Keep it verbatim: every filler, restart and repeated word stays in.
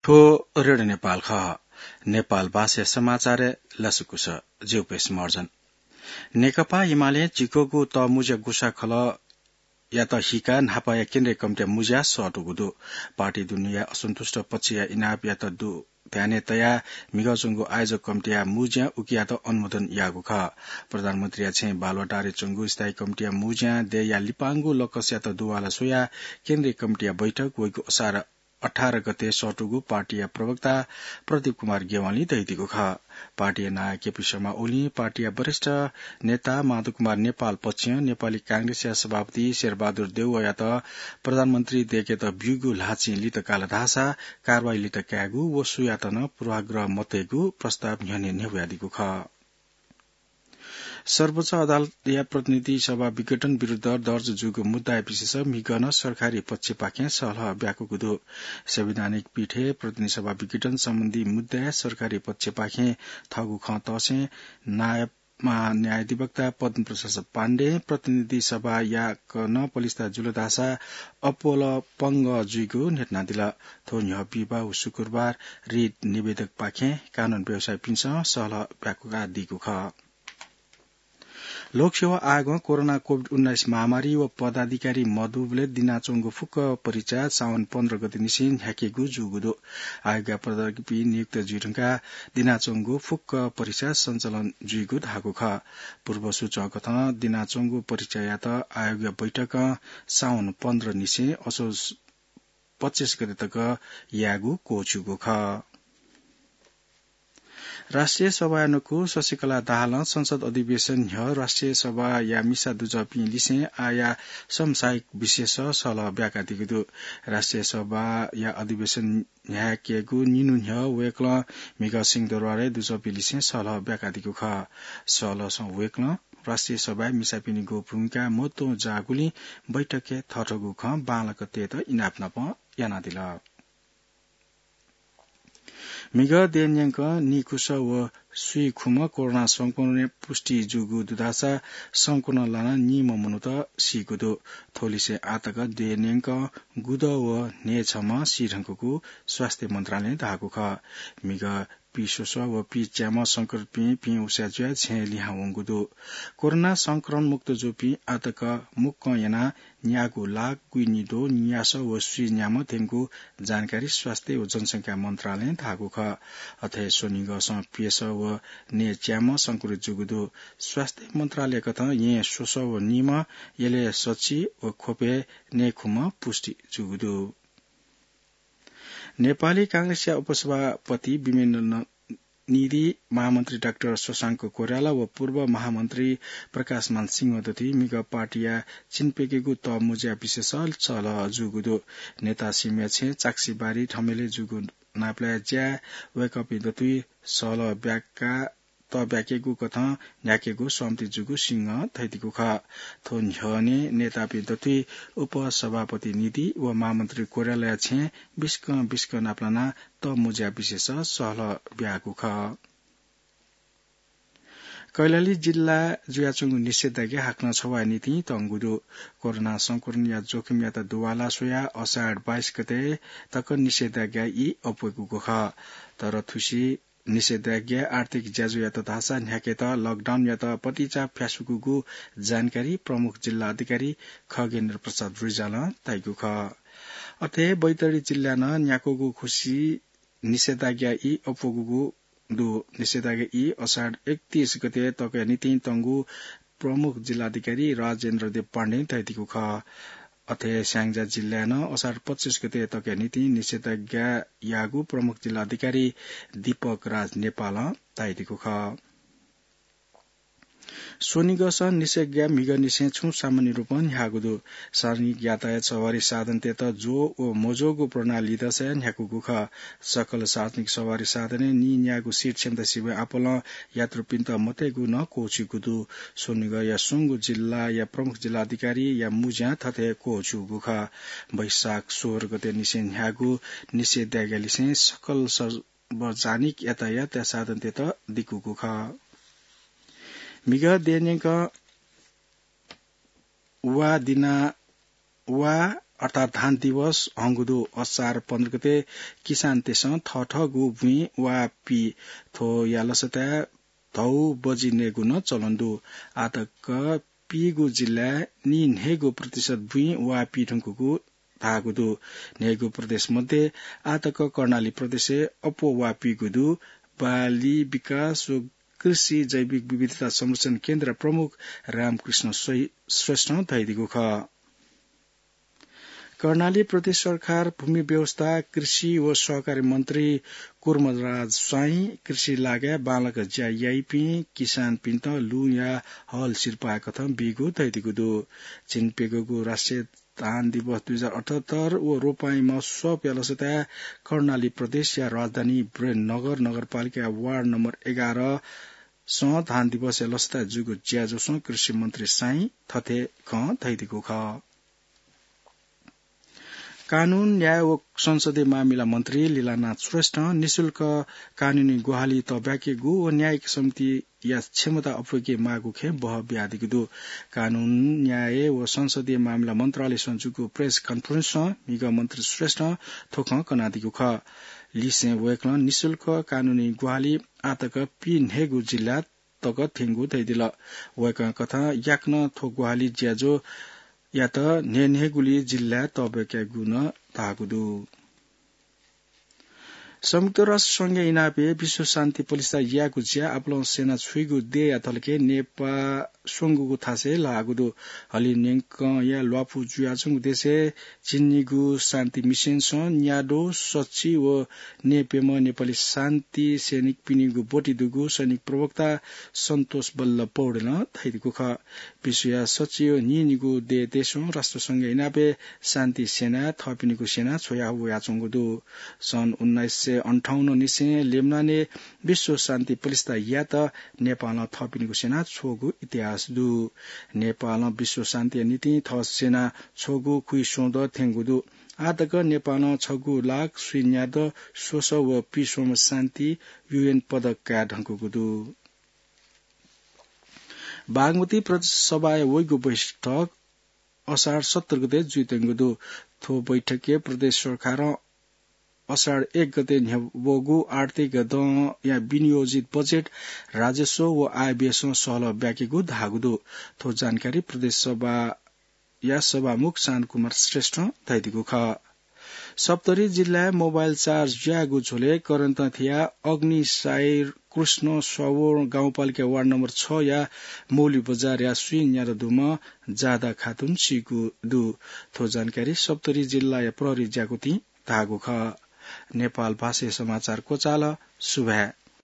थ्व रेडियो नेपाल खः। नेपाल भाषा समाचार लसकुस। ज्यू पेश मर्जन। नेकपा एमाले झिक्वःगु तःमुँज्या गुसाखलः यात हिका न्हापाया केन्द्रीय कमिटिया मुँज्या सःतूगु दु। पार्टी दुनुया असन्तुष्ट पक्षया इनापयात दु ध्याने तयाः म्हिगः च्वंगु आयोजक कमिटिया मुँज्या उकियात अनुमोदन याःगु खः। प्रधानमन्त्रीया छेँय् बालुवाटारय् च्वंगु स्थायी कमिटिया मुँज्या देय्‌या लिपांगु लकसयात दुवाला स्वयाः केन्द्रीय कमिटिया बैठक वइगु असार अठार गते सःतूगु पार्टीया प्रवक्ता प्रदीप कुमार गेवालीं धयादीगु खः। पार्टीया नायः केपी शर्मा ओलीं पार्टीया वरिष्ठ नेता माधव कुमार नेपाल पक्षं नेपाली कांग्रेसया सभापति शेरबहादुर देउवायात प्रधानमन्त्री देय्‌केत ब्यूगु ल्हाःचिं लित काल धाःसा कारवाही लित कायेगु व सुयात नं पूर्वाग्रह मतयेगु प्रस्ताव न्ह्यःने न्ह्यब्वयादीगु खः। सर्वोच्च अदालतया प्रतिनिधि सभा विघटन विरुद्ध दर्ज जूगु मुद्दाया विषयय् म्हिगः नं सरकारी पक्षपाखें सल्लाह ब्याकूगु दु। संवैधानिक पीठय् प्रतिनिधि सभा विघटन सम्बन्धी मुद्दाय् सरकारी पक्षपाखें थःगु खँ तःसें नायब महान्यायाधिवक्ता पद्मप्रसाद पाण्डें प्रतिनिधि सभायात नं पलिस्था जुल धाःसा अप्वः पंगः जुइगु न्ह्यथनादिल। थ्व न्ह्यः बिहिबाः व शुक्रबार रिट निवेदकपाखें कानून व्यवसायीपिन्सं सल्लाह ब्याकूकादीगु खः। लोकसेवा आयोगं कोरोना कोभिड उन्नाइस महामारी व पदाधिकारी मदुबलय् दिनाच्वंगु फुक्क परीक्षा साउन पन्ध्र गते निसें न्ह्याकेगु जूगु दु। आयोगया पदाधिकारीपिं नियुक्त जुइ धुंकाः दिनाच्वंगु फुक्क परीक्षा सञ्चालन जुइगु धाःगु खः। पूर्व सूचना कथं दिनाच्वंगु परीक्षायात आयोगया बैठकं साउन पन्ध्र निसें असोज पच्चिस गते तक यायेगु क्वःछिउगु खः। राष्ट्रिय सभाया नुगः शशिकला दाहालं संसद अधिवेशन न्ह्यः राष्ट्रिय सभाया मिसा दुजःपिं लिसें आःया समसामयिक विषयय् सल्लाह ब्याकादीगु दु। राष्ट्रिय सभाया अधिवेशन न्ह्याकेगु निन्हु न्ह्यः वय्‌कलं म्हिगः सिंहदरबारय् दुजःपिं लिसें सल्लाह ब्याकादीगु खः। सल्लाहसं वय्‌कलं राष्ट्रिय सभाय् मिसापिनिगु भूमिका महत्वं जाःगुलिं बैठकय् थःथःगु खँ बांलाक तयेत इनाप नाप यानादिल। म्हिगः देय् न्यंकं नीखुसः व स्वीखुम्ह कोरोना संक्रमणय् पुष्टि जूगु दु धाःसा संक्रमण लानाः नीम्ह मनूत सीगु दु। थ्व लिसें आःतक देय् न्यंकं गुदः व न्हय्‌छम्ह सी धुंकूगु स्वास्थ्य मन्त्रालयं धाःगु खः। म्हिगः पीस्वसः व पीच्याम्ह संक्रमितपिं पिं उसाँय् जुयाः छेँय् लिहां वंगु दु। कोरोना संक्रमण मुक्त जूपिं आःतक मुक्कं यानाः न्यागू लाख गुइनिद्वः नियासः व स्वीन्याम्ह थ्यंगु जानकारी स्वास्थ्य व जनसंख्या मन्त्रालयं धाःगु खः। अथे स्वनिगःसं प्यसः व न्हय्‌च्याम्ह संक्रमित जूगु दु। स्वास्थ्य मन्त्रालय कथं येँ स्वसः व नीम्ह, यलय् सछि व ख्वपय् न्हय्‌खुम्ह पुष्टि जूगु दु। नेपाली कांग्रेसया उपसभापति विमलेन्द्र निधि, महामन्त्री डाक्टर शशांक कोइराला व पूर्व महामन्त्री प्रकाशमान सिंह दथुइ म्हिगः पार्टीया चिन्प्यकेगु तःमुँज्या विषयय् सल्लाह जूगु दु। नेता सिंहया छेँय् चाक्सीबारी थमेलय् जूगु नापलाये ज्याय् वय्‌कःपिं दथुइ सल्लाह ब्याका तःब्याकेगु कथं न्ह्याकेगु सहमति जूगु सिंहं धयादीगु खः। थ्व न्ह्यःने नेतापिं दथुइ उपसभापति निधि व महामन्त्री कोइरालाया छेँय् बिस्कं बिस्कं नापलानाः तःमुँज्या विषयय् सल्लाह ब्याःगु खः। कैलाली जिल्ला जुयाच्वंगु निषेधाज्ञा हाकनं छवाःया निंतिं तंगु दु। कोरोना संक्रमणया जोखिमयात दुवाला स्वयाः असार बाइस गते तक निषेधाज्ञा ई अप्वयेगु खः। तर थुसी निषेधाज्ञा आर्थिक ज्याझ्वःयात धाःसा न्ह्याकेत लकडाउनयात पतिचा फ्यासुकूगु जानकारी प्रमुख जिल्ला अधिकारी खगेन्द्र प्रसाद रिजालं तयादीगु खः। अथे बैतडी जिल्लाय् नं न्याकूगु खुसी निषेधाज्ञा ई अप्वःगु दु। निषेधाज्ञा ई असार एकतीस गते तकया निंतिं तंगु प्रमुख जिल्ला अधिकारी राजेन्द्र देव पाण्डें धयादीगु खः। अथे स्याङ्जा जिल्लाय् नं असार पच्चिस गते तकया निंतिं निषेधाज्ञा याःगु प्रमुख जिल्ला अधिकारी दीपक राज नेपालं धयादीगु खः। स्वनिगःसं निषेधाज्ञा म्हिगःनिसें छुं सामान्य रूपं न्ह्याःगु दु। सार्वजनिक यातायात सवारी साधनतय्त ज्वः व मज्वःगु प्रणाली दशा न्ह्याकूगु खः। सकल सार्वजनिक सवारी साधनय् नीन्याःगु सिट क्षमता सिबें आपालं यात्रुपिन्त मतयेगु नं क्वःछिउगु दु। स्वनिगःया स्वंगू जिल्लाया प्रमुख जिल्ला अधिकारीया मुँज्यां थथे क्वःछिउगु खः। वैशाख सोह्र गते निसें न्ह्याःगु निषेधाज्ञा लिसें सकल सार्वजनिक यातायात साधनतय्त दिकूगु खः। म्हिगः देय् न्यंकं वा दिना वा अर्थात् धान दिवस हंगु दु। असार पन्ध्र गते किसानतय्सं थःथःगु बुँइ वा पी। थ्वया लसताय् धौ बजि नयेगु नं चलन दु। आतक पीगू जिल्लाय् नीन्हय्गू प्रतिशत बुँइ वा पी धुंकूगु धाःगु दु। न्हय्गू प्रदेश मध्ये आतक कर्णाली प्रदेशय् अप्वः वा पीगु दु। बाली विकास व कृषि जैविक विविधता संरक्षण केन्द्र प्रमुख रामकृष्ण श्रेष्ठं धयादीगु खः। कर्णाली प्रदेश सरकार भूमि व्यवस्था, कृषि व सहकारी मन्त्री कुर्मराज स्वाइँ, कृषि लागाय् बांलाक ज्या याइपिं किसानपिन्त लुँया हल सिरपाः कथं बीगु धयादीगु दु। झिंप्यंगूगु राष्ट्रिय धान दिवस दुई हजार अठहत्तर व रोपाइँ महोत्सवया लसताय् कर्णाली प्रदेशया राजधानी विरेन्द्रनगर नगरपालिकाया वार्ड नम्बर एघारसं धान दिवसया लसताय् जूगु ज्याझ्वलय् कृषि मन्त्री स्वाइँ थथे खँ धयादीगु खः। कानून, न्याय व संसदीय मामिला मन्त्री लीलानाथ श्रेष्ठं निशुल्क कानूनी ग्वाहालि तःब्याकेगु व न्यायिक समितिया क्षमता अप्वय्के माःगु खँय् बहः बियादीगु दु। कानून, न्याय व संसदीय मामिला मन्त्रालयसं जूगु प्रेस कन्फरेन्सं म्हिगः मन्त्री श्रेष्ठं थ्व खँ कनादीगु खः। लिसें वय्कलं निशुल्क कानूनी ग्वाहालि आतक पीन्हय्गू जिल्ला तक थ्यंगु धयादिल। वय्कलं कथं याकनं थ्व ग्वाहालि ज्याझ्वःयात न्हय्न्हय्गुली जिल्लाय् तःब्याकेगु नं धाःगु दु। संयुक्त राष्ट्र संघया इनापय् विश्व शान्ति पलिस्था यायेगु ज्या आपालं स्यना छ्वइगु देय्या धलखय् नेपाः स्वंगूगु थासय् लाःगु दु। हलिं न्यंकया ल्वापु जुयाच्वंगु देशय् झिंनिगू शान्ति मिशनसं न्याद्वः सच्छि व न्यय्प्यम्ह नेपाली शान्ति सैनिकपिनिगु ब्वति दुगु सैनिक प्रवक्ता सन्तोष बल्ल पौडेलं धयादीगु खः। विश्वया सच्छि व न्हिंनिगू देय् देशं राष्ट्र संघया इनापय् शान्ति सेनाय् थःपिनिगु सेना छ्वया वयाच्वंगु दु। सन् उन्नाइस सय अन्ठाउन्न निसें लेबनानय् विश्व शान्ति पलिस्था यायेत नेपालं थःपिनिगु सेना छ्वःगु इतिहास दु। नेपालं विश्व शान्तिया निंतिं थः सेना छ्वःगु खुइस्वंदँ थ्यंगु दु। आःतक नेपालं छगू लाख स्वीन्यादँ स्वसः व पीस्वम्ह शान्ति युएन पदक काये धुंकूगु दु। बागमती प्रदेश सभाया वइगु बैठक असार सत्र गते जुइत्यंगु दु। थ्व बैठकय् प्रदेश सरकारं असार एक गते न्ह्यब्वःगु आर्थिक दँया विनियोजित बजेट, राजस्व व आय व्ययसं सहलह ब्याकेगु धाःगु दु। थ्व जानकारी प्रदेश सभाया सभामुख शान्तकुमार श्रेष्ठं धयादीगु खः। सप्तरी जिल्लाय् मोबाइल चार्ज ज्याःगु झ्वलय् करेन्ट थियाः अग्निसायर कृष्ण स्वावोर गाउँपालिका वार्ड नम्बर छया मौली बजारया स्वीन्यादँ दुम्ह जादा खातुन सीगु दु। थ्व जानकारी सप्तरी जिल्लाया प्रहरी ज्याकुथिं धाःगु खः। नेपाल भाषाया समाचार क्वचाल। सुभाय्।